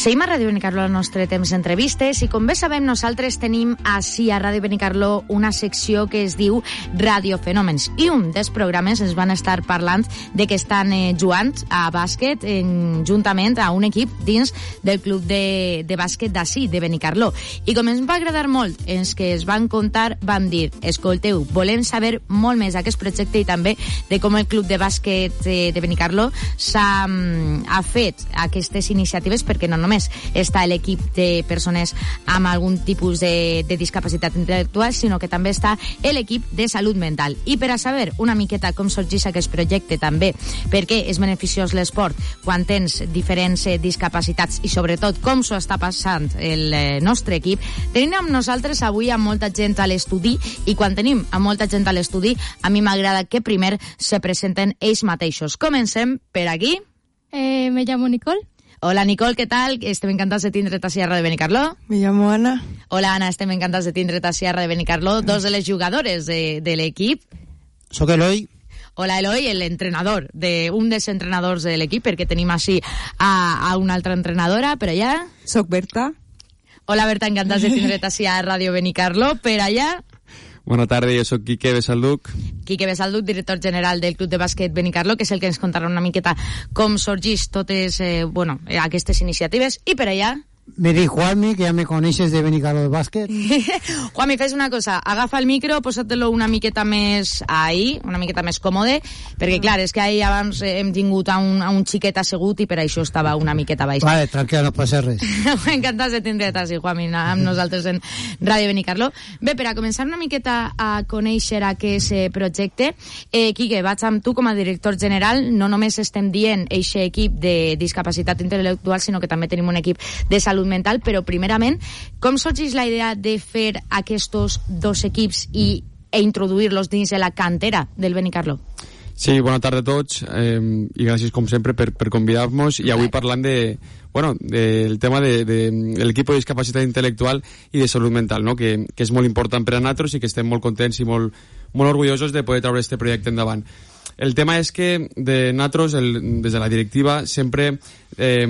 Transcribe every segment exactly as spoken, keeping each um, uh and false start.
Seguim a Ràdio Benicarló el nostre temps d'entrevistes i com bé sabem nosaltres tenim així a Ràdio Benicarló una secció que es diu Radiofenòmens i un dels programes ens van estar parlant de que estan eh, jugant a bàsquet en, juntament a un equip dins del club de, de bàsquet d'ací, de Benicarló. I com ens va agradar molt els que es van contar, vam dir, escolteu, volem saber molt més d'aquest projecte i també de com el club de bàsquet eh, de Benicarló s'ha ha fet aquestes iniciatives, perquè no només està l'equip de persones amb algun tipus de, de discapacitat intel·lectual, sinó que també està l'equip de salut mental. I per a saber una miqueta com sorgeix aquest projecte també, per què és beneficiós l'esport quan tens diferents eh, discapacitats i sobretot com s'ho està passant el eh, nostre equip, tenim amb nosaltres avui a molta gent a l'estudi i quan tenim a molta gent a l'estudi a mi m'agrada que primer se presenten ells mateixos. Comencem per aquí. Eh, me llamo Nicole. Hola Nicole, ¿qué tal? Estem encantats de tindre't a Sierra de Benicarló. Me llamo Ana. Hola Ana, estem encantats de tindre't a Sierra de Benicarló, dos de les jugadores de, de l'equip. Soc Eloi. Hola Eloi, l'entrenador, de, un dels entrenadors de l'equip, perquè tenim així a, a una altra entrenadora, per allà. Soc Berta. Hola Berta, encantats de tindre't així a Ràdio Benicarló, per allà. Bona tarda, jo sóc Quique Besalduc. Quique Besalduc, director general del Club de Bàsquet Benicarló, que és el que ens contarà una miqueta com sorgeix totes eh, bueno, aquestes iniciatives. I per allà... Me dic Juanmi, que ja me coneixes de Benicarló de bàsquet. Juanmi, fes una cosa, agafa el micro, posa-te-lo una miqueta més ahí, una miqueta més còmode, perquè clar, és que ahir abans hem tingut a un, a un xiquet assegut i per això estava una miqueta baix. Vale, tranquil, no passa res. Encantats de tindre't així, Juanmi, amb nosaltres en Ràdio Benicarló. Bé, per a començar una miqueta a conèixer aquest projecte, eh, Quique, vaig amb tu com a director general, no només estem dient eixe equip de discapacitat intel·lectual, sinó que també tenim un equip de salut mental, però primerament, com sorgeix la idea de fer aquests dos equips i, e introduir-los dins de la cantera del Benicarló? Sí, bona tarda a tots eh, i gràcies com sempre per, per convidar-nos i avui parlant de, bueno, del tema de, de, de l'equip de discapacitat intel·lectual i de salut mental, no? que, que és molt important per a nosaltres i que estem molt contents i molt, molt orgullosos de poder treure este projecte endavant. El tema és que de nosaltres, el, des de la directiva, sempre eh,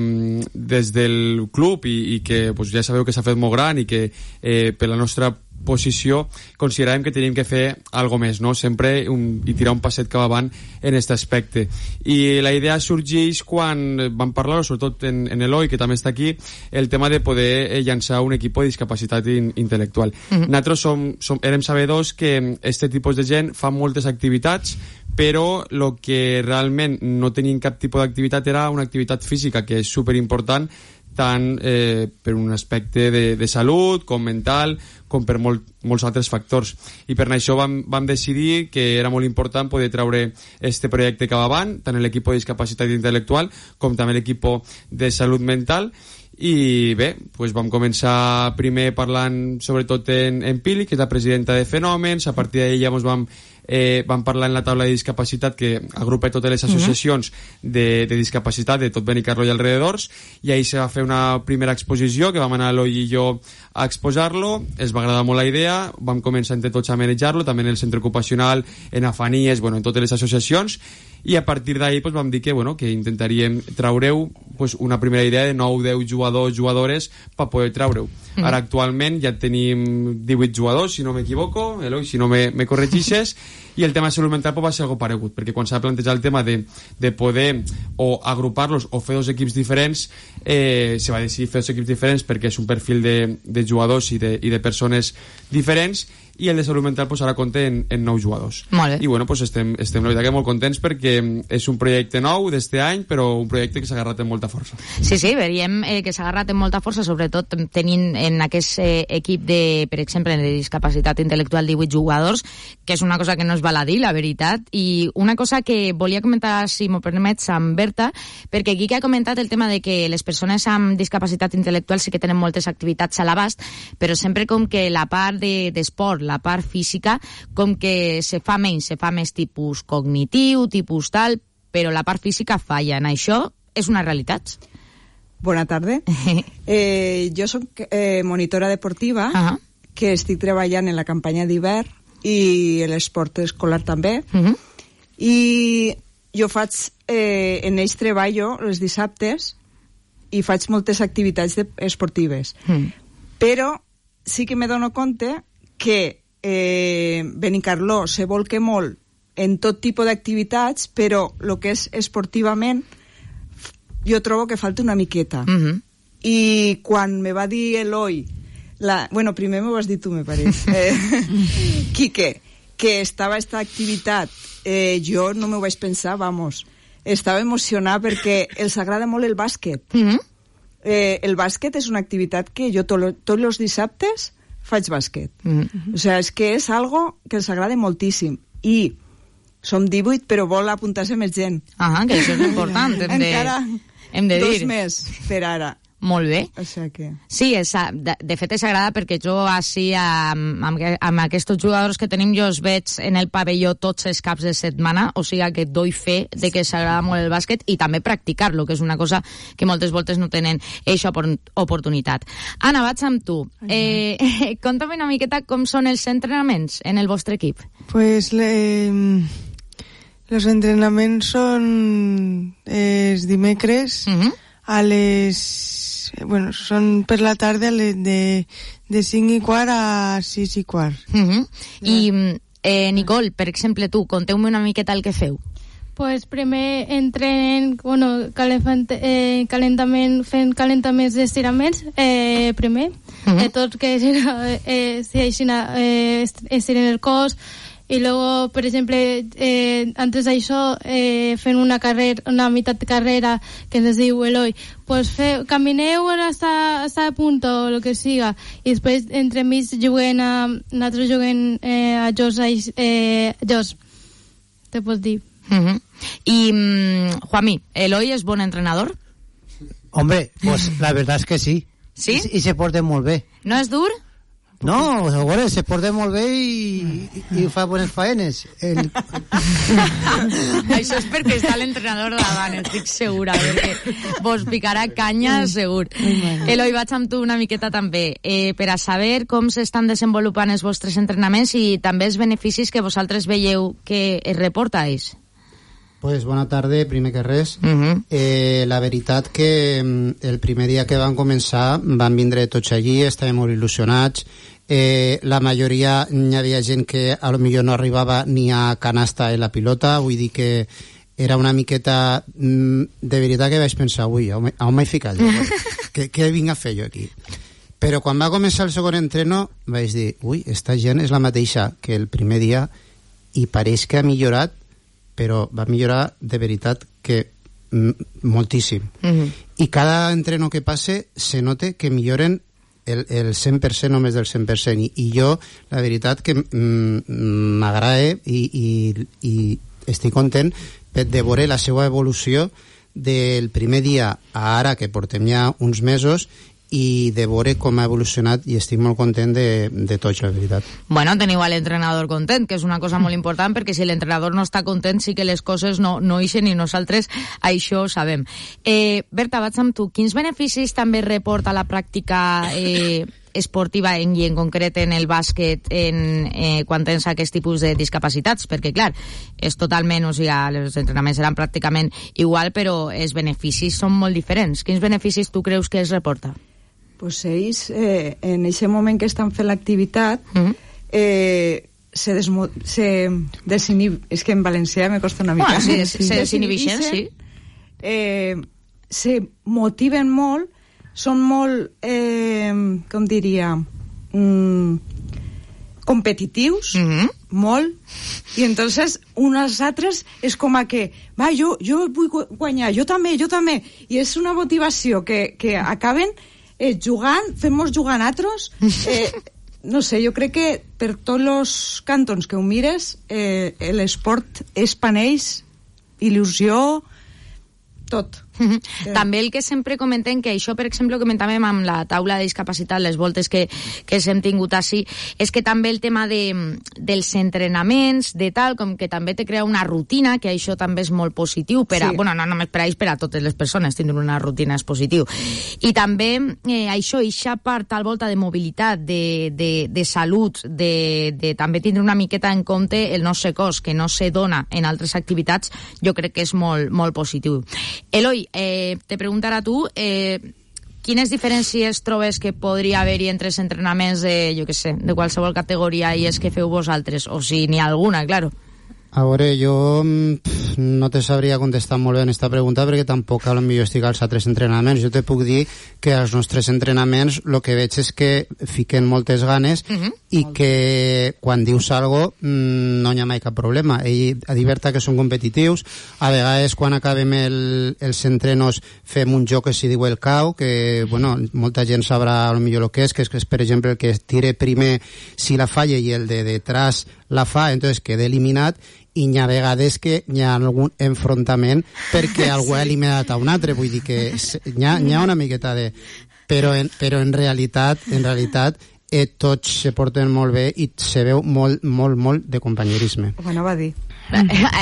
des del club i, i que pues, ja sabeu que s'ha fet molt gran i que eh, per la nostra posició consideràvem que teníem que fer algo més, no? Sempre un, i tirar un passet cap avant en aquest aspecte. I la idea sorgeix quan vam parlar, sobretot en, en Eloi, que també està aquí, el tema de poder eh, llançar un equip de discapacitat in, intel·lectual. Mm-hmm. Nosaltres som, som, érem sabedors que aquest tipus de gent fa moltes activitats, però el que realment no tenien cap tipus d'activitat era una activitat física, que és superimportant tant eh, per un aspecte de, de salut com mental com per molt, molts altres factors, i per això vam, vam decidir que era molt important poder treure este projecte cap avant, tant l'equip de discapacitat intel·lectual com també l'equip de salut mental. I bé, pues vam començar primer parlant sobretot en, en Pili, que és la presidenta de Fenòmens. A partir d'ella ens vam, eh, vam parlar en la taula de discapacitat, que agrupa totes les associacions de, de discapacitat de tot Benicarló i alrededors, i ahir se va fer una primera exposició que vam anar Eloi i jo a exposar-lo. Es va agradar molt la idea, vam començar entre tots a manejar-lo, també en el centre ocupacional, en Afanies, bueno, en totes les associacions, i a partir d'ahir pues, vam dir que, bueno, que intentaríem treure-ho pues, una primera idea de nou deu jugadors, jugadores per poder treure-ho. Mm. Ara actualment ja tenim divuit jugadors, si no m'equivoco, Eloi, si no me, me corregixes, i el tema de salut mental pues, va ser algo paregut, perquè quan s'ha plantejat el tema de, de poder o agrupar-los o fer dos equips diferents, eh, se va decidir fer dos equips diferents perquè és un perfil de, de jugadors i de, i de persones diferents, i el de salut mental pues, ara compta en, en nou jugadors. Molt bé. I bueno, pues, estem, estem la veritat que molt contents perquè és un projecte nou d'este any, però un projecte que s'ha agarrat amb molta força. Sí, sí, veríem eh, que s'ha agarrat amb molta força, sobretot tenint en aquest eh, equip de, per exemple, de discapacitat intel·lectual divuit jugadors, que és una cosa que no es val a dir, la veritat, i una cosa que volia comentar, si m'ho permets, amb Berta, perquè aquí que ha comentat el tema de que les persones amb discapacitat intel·lectual sí que tenen moltes activitats a l'abast, però sempre com que la part de, d'esport, la part física, com que se fa menys, se fa més tipus cognitiu, tipus tal, però la part física falla. En això és una realitat. Bona tarda. eh, jo soc eh, monitora deportiva, uh-huh. que estic treballant en la campanya d'hivern i l'esport escolar també. Uh-huh. I jo faig, eh, en ells treballo els dissabtes i faig moltes activitats de, esportives. Mm. Però sí que me dono compte que eh, Benicarló se volca molt en tot tipus d'activitats, però el que és esportivament jo trobo que falta una miqueta. Mm-hmm. I quan me va dir Eloi, la, bueno, primer m'ho vas dir tu, me pareix, eh, Quique, que estava esta activitat, eh, jo no m'ho vaig pensar, vamos, estava emocionada perquè els agrada molt el bàsquet. Mm-hmm. eh, el bàsquet és una activitat que jo to, tots els dissabtes faig bàsquet. Mm-hmm. O sigui, és que és algo que els agrada moltíssim. I som divuit, però vol apuntar-se més gent. Ah, que això és important. Hem de, encara hem de dir. Dos més per ara. Molt bé. O sigui que... Sí, és, de, de fet és agrada perquè jo així amb, amb, amb aquests jugadors que tenim jo els veig en el pavelló tots els caps de setmana, o sigui que doi fe de que s'agrada molt el bàsquet i també practicar-lo, que és una cosa que moltes voltes no tenen eixa oportunitat. Anna, vaig amb tu. Eh, conta'm una miqueta com són els entrenaments en el vostre equip. Pues le, los entrenaments són els dimecres uh-huh. a les... Bueno, són per la tarda de, de cinc i quart a sis i quart. Uh-huh. I, eh, Nicole, per exemple, tu, conteu-me una miqueta el que feu. Pues primer entrenen, bueno, calent, eh, calentament, fent calentaments d'estiraments, eh, primer, uh-huh. de tot que eh, si eh, estiren el cos, i luego, per exemple, eh, antes d'això, eh, fent una carrera, una meitat de carrera que ens diu Eloi, pues fe, camineu hasta, hasta el punto, o lo que siga, i després entremig juguen a, nosaltres juguem eh, a jocs, eh, jocs, te pots dir. Uh-huh. I, um, Juanmi, Eloi és bon entrenador? Hombre, pues la verdad es que sí. Sí? I, i se porta molt bé. No és dur? No, bueno, se porta molt bé i, i, i fa bones faenes. El... Això és perquè està l'entrenador davant, estic segura, perquè vos picarà canya segur. Eloi, vaig amb tu una miqueta també, eh, per a saber com s'estan desenvolupant els vostres entrenaments i també els beneficis que vosaltres veieu que es reportais. Pues bona tarda, primer que res. Uh-huh. eh, la veritat que el primer dia que van començar van vindre tots allí, estàvem molt il·lusionats. Eh, la majoria hi havia gent que a lo millor no arribava ni a canasta en la pilota, vull dir que era una miqueta... De veritat que vaig pensar, ui, on m'he ficat jo? què, què vinc a fer jo aquí? Però quan va començar el segon entreno vaig dir, ui, esta gent és la mateixa que el primer dia i pareix que ha millorat, però va millorar de veritat que m- moltíssim. Mm-hmm. I cada entreno que passe se nota que milloren el, el cent per cent, només del cent per cent. I, i jo, la veritat que mm, m'agrada i, i, i estic content de veure la seva evolució del primer dia a ara, que portem ja uns mesos, i de veure com ha evolucionat i estic molt content de, de tots, la veritat. Bueno, teniu a l'entrenador content, que és una cosa molt important, perquè si l'entrenador no està content sí que les coses no, no ixen i nosaltres això ho sabem. Eh, Berta, vaig amb tu. Quins beneficis també reporta la pràctica eh, esportiva en, i en concret en el bàsquet en, eh, quan tens aquest tipus de discapacitats? Perquè, clar, és totalment, o sigui, els entrenaments seran pràcticament igual, però els beneficis són molt diferents. Quins beneficis tu creus que es reporta? Pues ells, eh, en aquest moment que estan fent l'activitat, mm-hmm. eh, se, desmo- se desinhib... És que en valencià me costa una mica. Bueno, sí, se, se desinhibixen, sí. Eh, se motiven molt, són molt, eh, com diria, mm, competitius, mm-hmm. molt, i entonces unes altres és com a que, va, jo, jo vull guanyar, jo també, jo també, i és una motivació que, que acaben eh, jugant, fem-nos jugar altres, eh, no sé, jo crec que per tots els cantons que ho mires, eh, l'esport és panells, il·lusió, tot. Mm-hmm. També el que sempre comentem, que això, per exemple, comentàvem amb la taula de discapacitat, les voltes que, que hem tingut així, és que també el tema de, dels entrenaments, de tal, com que també te crea una rutina, que això també és molt positiu, per a, sí. bueno, no només per a ells, per a totes les persones, tindre una rutina és positiu. I també eh, això, eixa part tal volta de mobilitat, de, de, de salut, de, de també tindre una miqueta en compte el nostre cos, que no se dona en altres activitats, jo crec que és molt, molt positiu. Eloi, eh, te preguntarà tu... Eh, quines diferències trobes que podria haver-hi entre els entrenaments de, jo què sé, de qualsevol categoria i els que feu vosaltres? O si n'hi ha alguna, claro. A veure, jo pff, no te sabria contestar molt bé en aquesta pregunta perquè tampoc potser estic als altres entrenaments. Jo te puc dir que als nostres entrenaments el que veig és que fiquen moltes ganes uh-huh. i que quan dius algo mmm, no hi ha mai cap problema. Ell adverta que són competitius. A vegades quan acabem el, els entrenos fem un joc que s'hi diu el cau, que bueno, molta gent sabrà potser el que és, que és, que és per exemple el que tire primer si la falla i el de detrás la fa, entonces queda eliminat, i hi ha vegades que hi ha algun enfrontament perquè algú ha eliminat a un altre, vull dir que hi ha, hi ha una miqueta de... Però en, però en realitat, en realitat eh, tots se porten molt bé i se veu molt, molt, molt de companyerisme. Bueno, va dir.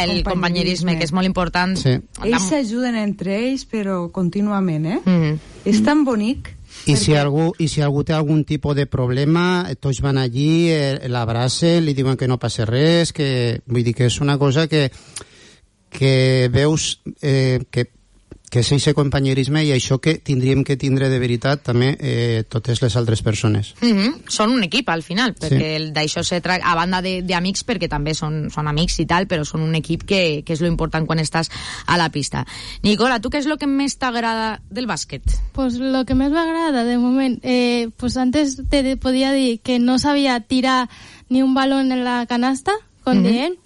El companyerisme, que és molt important. Sí. Ells s'ajuden entre ells, però contínuament, eh? Mm. És tan bonic. I perquè... si, algú, I si algú té algun tipus de problema, tots van allí, eh, l'abracen, li diuen que no passa res, que vull dir que és una cosa que, que veus eh, que, que és aquest companyerisme i això que tindríem que tindre de veritat també eh, totes les altres persones. Mm-hmm. Són un equip al final, perquè sí. D'això se tracta, a banda d'amics, perquè també són, són amics i tal, però són un equip que, que és lo important quan estàs a la pista. Nicola, tu què és lo que més t'agrada del bàsquet? Pues lo que més m'agrada de moment, eh, pues antes te podia dir que no sabia tirar ni un balón en la canasta, con mm-hmm. dient,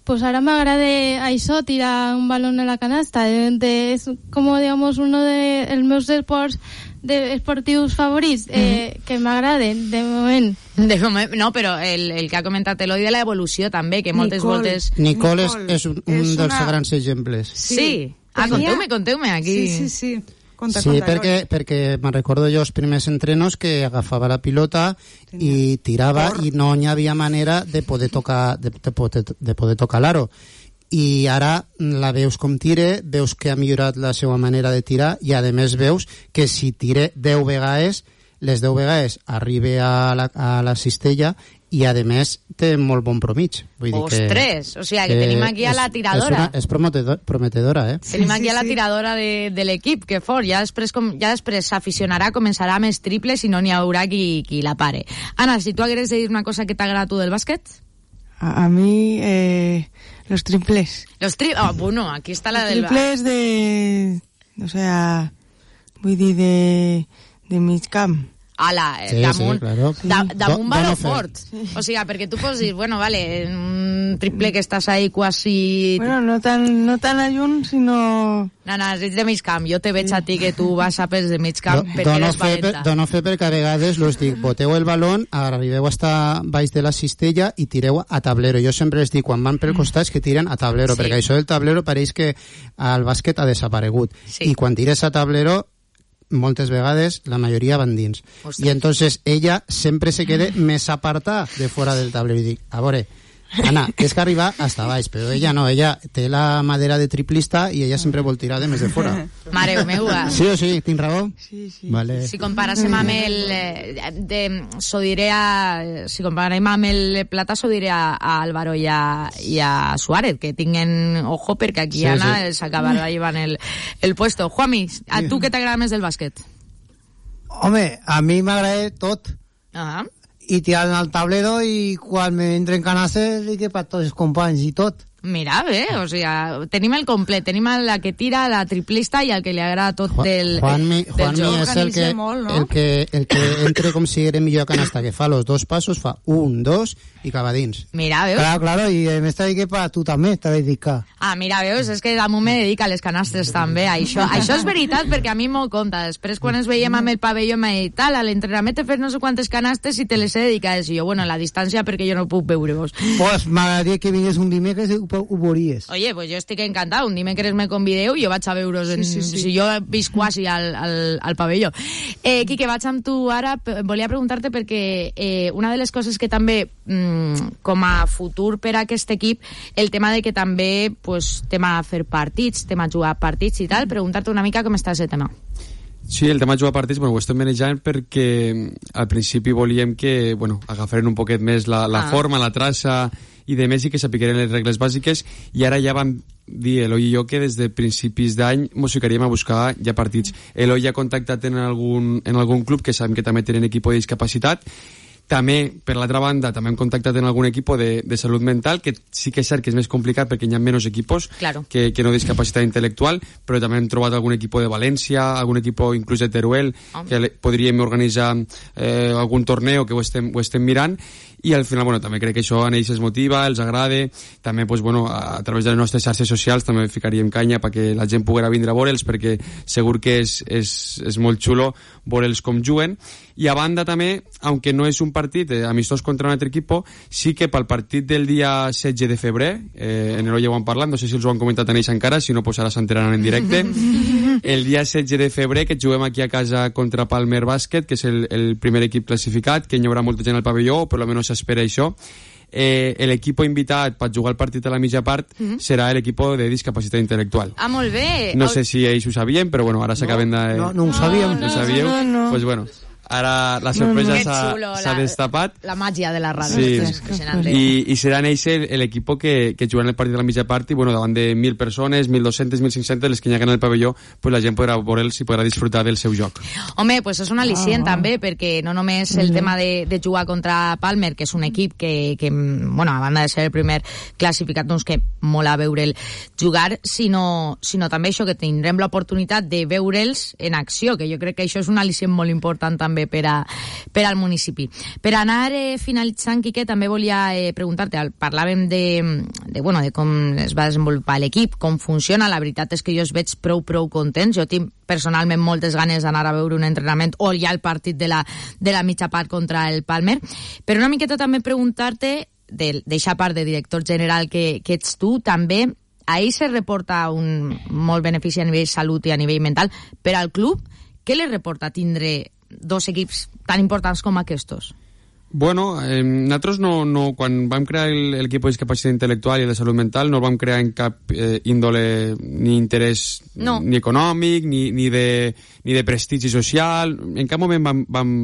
pues ahora me agrade això, tirar un balón en la canasta. De, de, es como, digamos, uno de els meus esports de esportius favorits, eh, mm-hmm. que m'agraden, de moment. De moment. No, però el, el que ha comentat Eloi de l'evolució també, que moltes Nicole, voltes... Nicole, Nicole és, és un, un és dels una... grans exemples. Sí. sí. Ah, conteu-me, conteu-me aquí. Sí, sí, sí. Conta, sí, conta, perquè, perquè me'n recordo jo els primers entrenos que agafava la pilota Tenia. i tirava Por. i no hi havia manera de poder tocar de, de, poder, de poder tocar l'aro. I ara la veus com tire, veus que ha millorat la seva manera de tirar i a més veus que si tire deu vegades, les deu vegades arriba a la, a la cistella i a més té molt bon promig. Vull dir Ostres, que, o sigui que, que tenim aquí a la tiradora. És, una, és prometedor, prometedora, eh? Tenim aquí sí, a la sí. tiradora de, de l'equip, que fort. Ja després, com, ja després s'aficionarà, començarà amb els triples i no n'hi haurà qui, qui la pare. Anna, si tu hagueres de dir una cosa que t'agrada a tu del bàsquet? A, a mi, eh, los triples. Los triples, oh, bueno, aquí està la los del... triples de, o sea, vull dir, de, de mig camp. Ala, sí, damunt, sí, claro. da, damunt Do, valor fort. Sí. O sigui, perquè tu pots dir, bueno, vale, un triple que estàs ahí quasi... Bueno, no tan, no tan a lluny, sinó... No, no, ets de mig camp. Jo te veig a ti que tu vas a pes de mig camp Do, perquè eres fer, valenta. Dono fer perquè a vegades los dic, boteu el balón, arribeu hasta baix de la cistella i tireu a tablero. Jo sempre els dic, quan van pel costat, que tiren a tablero, sí. perquè això del tablero pareix que el bàsquet ha desaparegut. Sí. I quan tires a tablero, moltes vegades la majoria van dins. Ostres. I entonces ella sempre se queda més apartada de fora del tablero i dic, a veure, Anna, tens que arribar hasta baix, però ella no, ella té la madera de triplista i ella sempre vol tirar de més de fora. Mare meua. Sí o sí? Tinc raó? Sí, sí. Vale. Si comparàssim amb el... Eh, de, s'ho diré a... Si comparàssim amb el Plata, s'ho diré a, a Álvaro i a, i a Suárez, que tinguen ojo perquè aquí sí, Anna sí. s'acabarà llevant el, el puesto. Juanmi, a tu què t'agrada més del bàsquet? Home, a mi m'agrada tot. Ah. I tirant al tablero i quan m'entren canasses i que per tots els companys i tot. Mira, bé, o sigui, tenim el complet, tenim la que tira, la triplista i el que li agrada tot del, Juanmi, del Juanmi joc. és el que, molt, no? el, que, el que entre com si era millor canasta, que fa los dos passos, fa un, dos i acaba dins. Mira, veus? Claro, claro, i m'està dient que per tu també t'ha dedicat. Ah, mira, veus, és que damunt me dedica a les canastres també, això, això és veritat perquè a mi m'ho compta, després quan ens veiem amb el pavelló m'ha dit, tal, a l'entrenament he fet no sé quantes canastes i te les he dedicat, i jo, bueno, a la distància perquè jo no puc veure-vos. Pues m'agradaria que vingués un dimecres i ho veuries. Oye, pues jo estic encantat, un dimecres me convideu i jo vaig a veure's, en, sí, sí, sí. si jo visc quasi al, al, al pavelló. Eh, Quique, vaig amb tu ara, volia preguntar-te perquè eh, una de les coses que també, mm, com a futur per a aquest equip, el tema de que també, pues, tema fer partits, tema jugar partits i tal, preguntar-te una mica com està aquest tema. Sí, el tema de jugar partits, bueno, ho estem manejant perquè al principi volíem que, bueno, agafaren un poquet més la, la ah. forma, la traça i de més i que sapigueren les regles bàsiques, i ara ja vam dir Eloi i jo que des de principis d'any mos ficaríem a buscar ja partits. Eloi ja ha contactat en algun, en algun club que sabem que també tenen equip de discapacitat. També, per l'altra banda, també hem contactat en algun equip de, de salut mental, que sí que és cert que és més complicat perquè hi ha menys equipos claro. que, que no discapacitat intel·lectual, però també hem trobat algun equip de València, algun equip inclús de Teruel, oh. que le, podríem organitzar eh, algun torneo que ho estem, ho estem mirant, i al final, bueno, també crec que això a ells es motiva, els agrada, també, pues, bueno, a, a través de les nostres xarxes socials també ficaríem canya perquè la gent poguera vindre a veure'ls, perquè segur que és, és, és molt xulo veure'ls com juguen. I a banda també, aunque no és un partit eh, amistós contra un altre equip, sí que pel partit del dia setze de febrer, eh, en Eloi ja ho han parlat, no sé si els ho han comentat en ells encara, si no, pues ara s'enteraran en directe, el dia setze de febrer, que juguem aquí a casa contra Palmer Bàsquet, que és el, el primer equip classificat, que hi haurà molta gent al pavelló, per almenys s'espera això. Eh, l'equip invitat per jugar el partit a la mitja part mm-hmm. serà l'equip de discapacitat intel·lectual. Ah, molt bé. No sé si ells ho sabien, però bueno, ara s'acaben de... No, no ho sabíem. No, no, no ho sabíeu? No, no. Pues bueno, ara la sorpresa no, no. s'ha, s'ha destapat. La màgia de la ràdio. Sí. I, i seran ells l'equip que, que juguen el partit de la mitja part i bueno, davant de mil persones, mil dos-cents, mil cinc-cents, les que hi ha en el pavelló, pues la gent podrà veure'ls i podrà disfrutar del seu joc. Home, pues és un al·licient ah. també, perquè no només el tema de, de jugar contra Palmer, que és un equip que, que, bueno, a banda de ser el primer classificat, doncs que mola veure'l jugar, sinó, sinó també això, que tindrem l'oportunitat de veure'ls en acció, que jo crec que això és un al·licient molt important també per, a, per al municipi. Per anar eh, finalitzant, Quique, també volia eh, preguntar-te, parlàvem de, de, bueno, de com es va desenvolupar l'equip, com funciona. La veritat és que jo es veig prou, prou contents. Jo tinc personalment moltes ganes d'anar a veure un entrenament o ja el partit de la, de la mitja part contra el Palmer. Però una miqueta també preguntar-te, d'eixa part de director general que, que ets tu, també ahir se reporta un molt benefici a nivell salut i a nivell mental per al club. Què li reporta tindre dos equips tan importants com aquests? Bueno, eh, nosaltres no, no, quan vam crear l'equip de discapacitat intel·lectual i de salut mental no el vam crear en cap eh, índole ni interès no. ni econòmic ni, ni, de, ni de prestigi social. En cap moment vam, vam,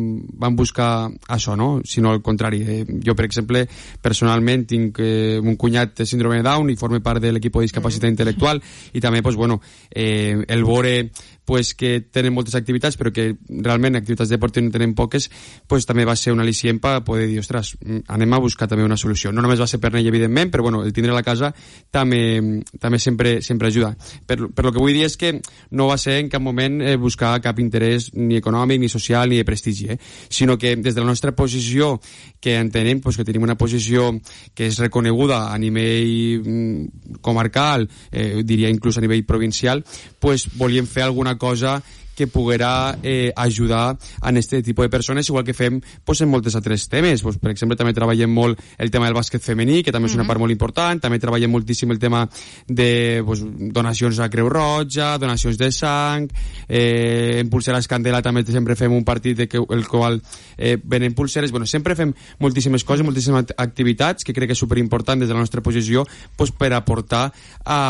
vam buscar això, no? Sinó al contrari. Eh, jo, per exemple, personalment tinc eh, un cunyat de síndrome de Down i forma part de l'equip de discapacitat mm. intel·lectual i també, pues, bueno, eh, el veure pues, que tenen moltes activitats però que realment activitats deportives no tenen poques, pues, també va ser un al·licient per poder dir, ostres, anem a buscar també una solució. No només va ser per ell, evidentment, però bueno, el tindre a la casa també, també sempre, sempre ajuda. Per, per lo que vull dir és que no va ser en cap moment eh, buscar cap interès ni econòmic, ni social, ni de prestigi, eh? Sinó que des de la nostra posició, que entenem pues, que tenim una posició que és reconeguda a nivell mm, comarcal, eh, diria inclús a nivell provincial, pues volíem fer alguna cosa que poguera eh, ajudar a aquest tipus de persones, igual que fem pues, en moltes altres temes. Pues, per exemple, també treballem molt el tema del bàsquet femení, que també és una part molt important, també treballem moltíssim el tema de pues, donacions a Creu Roja, donacions de sang, eh, en Pulseres Candela també sempre fem un partit de que, el qual eh, venen pulseres. Bueno, sempre fem moltíssimes coses, moltíssimes activitats, que crec que és superimportant des de la nostra posició pues, per aportar a,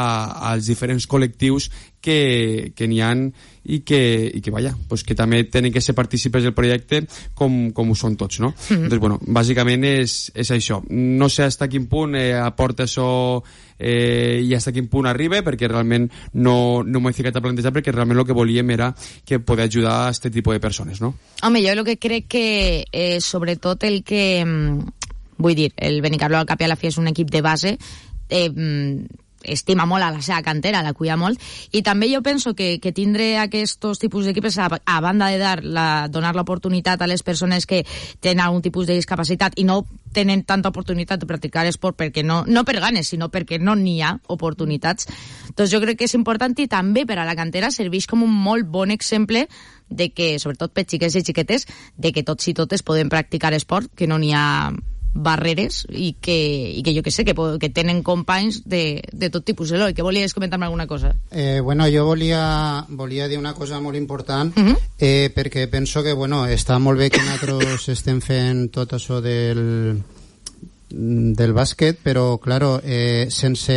als diferents col·lectius que, que n'hi ha i que, i que, vaja, pues que també tenen que ser partícipes del projecte com, com ho són tots, no? Mm-hmm. Doncs, bueno, bàsicament és, és això. No sé fins a quin punt eh, aporta això eh, i fins a quin punt arriba, perquè realment no, no m'ho he ficat a plantejar, perquè realment el que volíem era que poder ajudar a aquest tipus de persones, no? Home, jo el que crec que eh, sobretot el que... Vull dir, el Benicarló al cap i a la fi és un equip de base, eh, estima molt a la seva cantera, la cuida molt, i també jo penso que, que tindre aquests tipus d'equips, a, a banda de dar la, donar l'oportunitat a les persones que tenen algun tipus de discapacitat i no tenen tanta oportunitat de practicar esport perquè no, no per ganes, sinó perquè no n'hi ha oportunitats, doncs jo crec que és important i també per a la cantera serveix com un molt bon exemple de que, sobretot per xiquets i xiquetes, de que tots i totes podem practicar esport, que no n'hi ha barreres i que, i que jo que sé, que, que tenen companys de, de tot tipus. Eloi, que volies comentar-me alguna cosa? Eh, bueno, jo volia, volia dir una cosa molt important, uh-huh. eh, perquè penso que, bueno, està molt bé que nosaltres estem fent tot això del del bàsquet, però, claro, eh, sense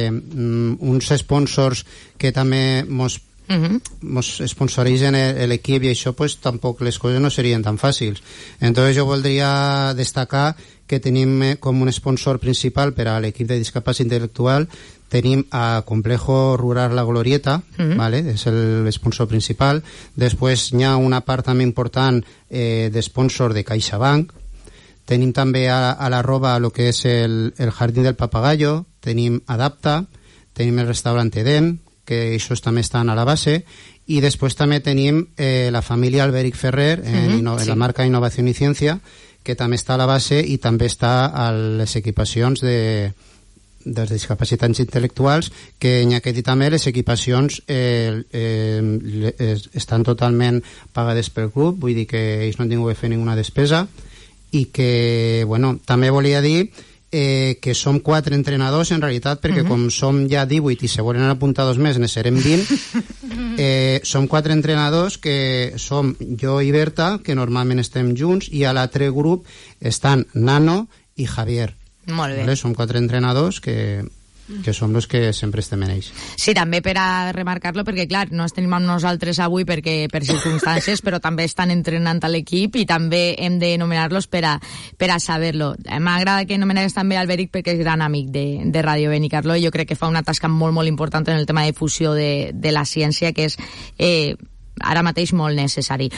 mm, uns sponsors que també mos uh-huh. mos sponsoritzen l'equip i això pues tampoc les coses no serien tan fàcils. Entonces jo voldria destacar que tenim com un sponsor principal per a l'equip de discapacitat intel·lectual, tenim a Complejo Rural La Glorieta, uh-huh. vale? És el sponsor principal. Després hi ha una part també important eh, de sponsor de CaixaBank. Tenim també a, a la roba el que és el, el Jardín del Papagayo, tenim Adapta, tenim el restaurant Edén, que això també estan a la base, i després també tenim eh, la família Alberic Ferrer, en, uh-huh. en sí. la marca Innovació i Ciència, que també està a la base i també està a les equipacions de, dels discapacitats intel·lectuals, que n'hi ha que dir també les equipacions eh, eh, estan totalment pagades pel club, vull dir que ells no han tingut que fer ninguna despesa, i que, bueno, també volia dir eh, que som quatre entrenadors en realitat, perquè uh-huh. com som ja divuit i se volen apuntar dos més, ne serem vint, eh, som quatre entrenadors que som jo i Berta, que normalment estem junts, i a l'altre grup estan Nano i Javier. Molt bé. Vale? Som quatre entrenadors que... que som els que sempre estem en ells. Sí, també per a remarcar-lo, perquè clar, no estem amb nosaltres avui perquè per circumstàncies, però també estan entrenant a l'equip i també hem d'anomenar-los per a, per a saber-lo. M'agrada que anomenares també Alberic perquè és gran amic de, de Ràdio Benicarló i jo crec que fa una tasca molt, molt important en el tema de difusió de, de la ciència, que és eh, ara mateix molt necessari.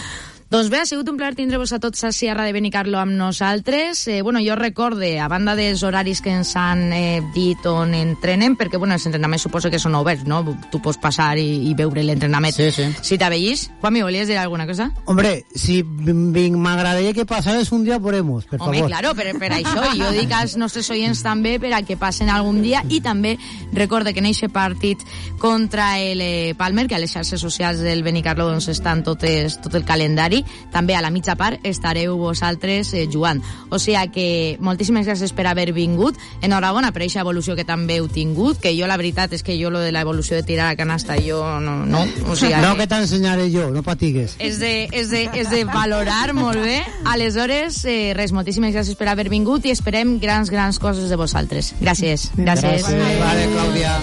Doncs bé, ha sigut un plaer tindre-vos a tots a Sierra de Benicarló amb nosaltres. Eh, bueno, jo recorde, a banda dels horaris que ens han eh, dit on entrenem, perquè bueno, els entrenaments suposo que són oberts, no? Tu pots passar i, i veure l'entrenament. Sí, sí. Si t'avellís. Juanmi, ¿volies dir alguna cosa? Hombre, si m'agradaria que passares un dia, podemos, per Home, favor. claro, per, per això. I jo dic als nostres oients també per a que passen algun dia i també recorde que en aquest partit contra el eh, Palmer, que a les xarxes socials del Benicarló doncs, estan totes, tot el calendari, també a la mitja part estareu vosaltres eh, jugant. O sigui que moltíssimes gràcies per haver vingut. Enhorabona per aquesta evolució que també heu tingut, que jo la veritat és que jo lo de l'evolució de tirar a canasta jo no... No, o sigui no que, que t'ensenyaré jo, no patigues. És de, és, de, és de valorar molt bé. Aleshores, eh, res, moltíssimes gràcies per haver vingut i esperem grans, grans coses de vosaltres. Gràcies. Gràcies. Gràcies. Vale, Clàudia.